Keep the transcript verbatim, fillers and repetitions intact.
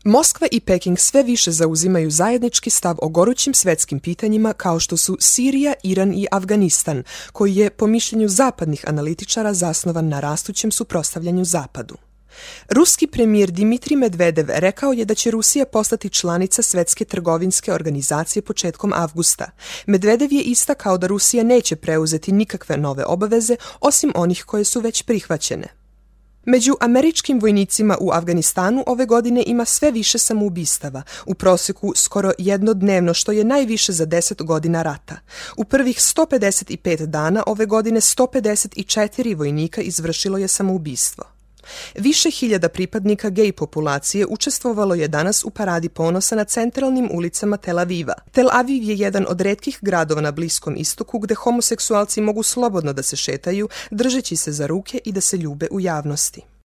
Moskva i Peking sve više zauzimaju zajednički stav o gorućim svetskim pitanjima kao što su Sirija, Iran i Afganistan, koji je, po mišljenju zapadnih analitičara, zasnovan na rastućem suprotstavljanju Zapadu. Ruski premijer Dimitrij Medvedev rekao je da će Rusija postati članica Svetske trgovinske organizacije početkom avgusta. Medvedev je istakao da Rusija neće preuzeti nikakve nove obaveze osim onih koje su već prihvaćene. Među američkim vojnicima u Afganistanu ove godine ima sve više samoubistava, u prosjeku skoro jednodnevno, što je najviše za deset godina rata. U prvih sto pedeset pet dana ove godine sto pedeset četiri vojnika izvršilo je samoubistvo. Više hiljada pripadnika gej populacije učestvovalo je danas u paradi ponosa na centralnim ulicama Tel Aviva. Tel Aviv je jedan od retkih gradova na Bliskom istoku gde homoseksualci mogu slobodno da se šetaju, držeći se za ruke i da se ljube u javnosti.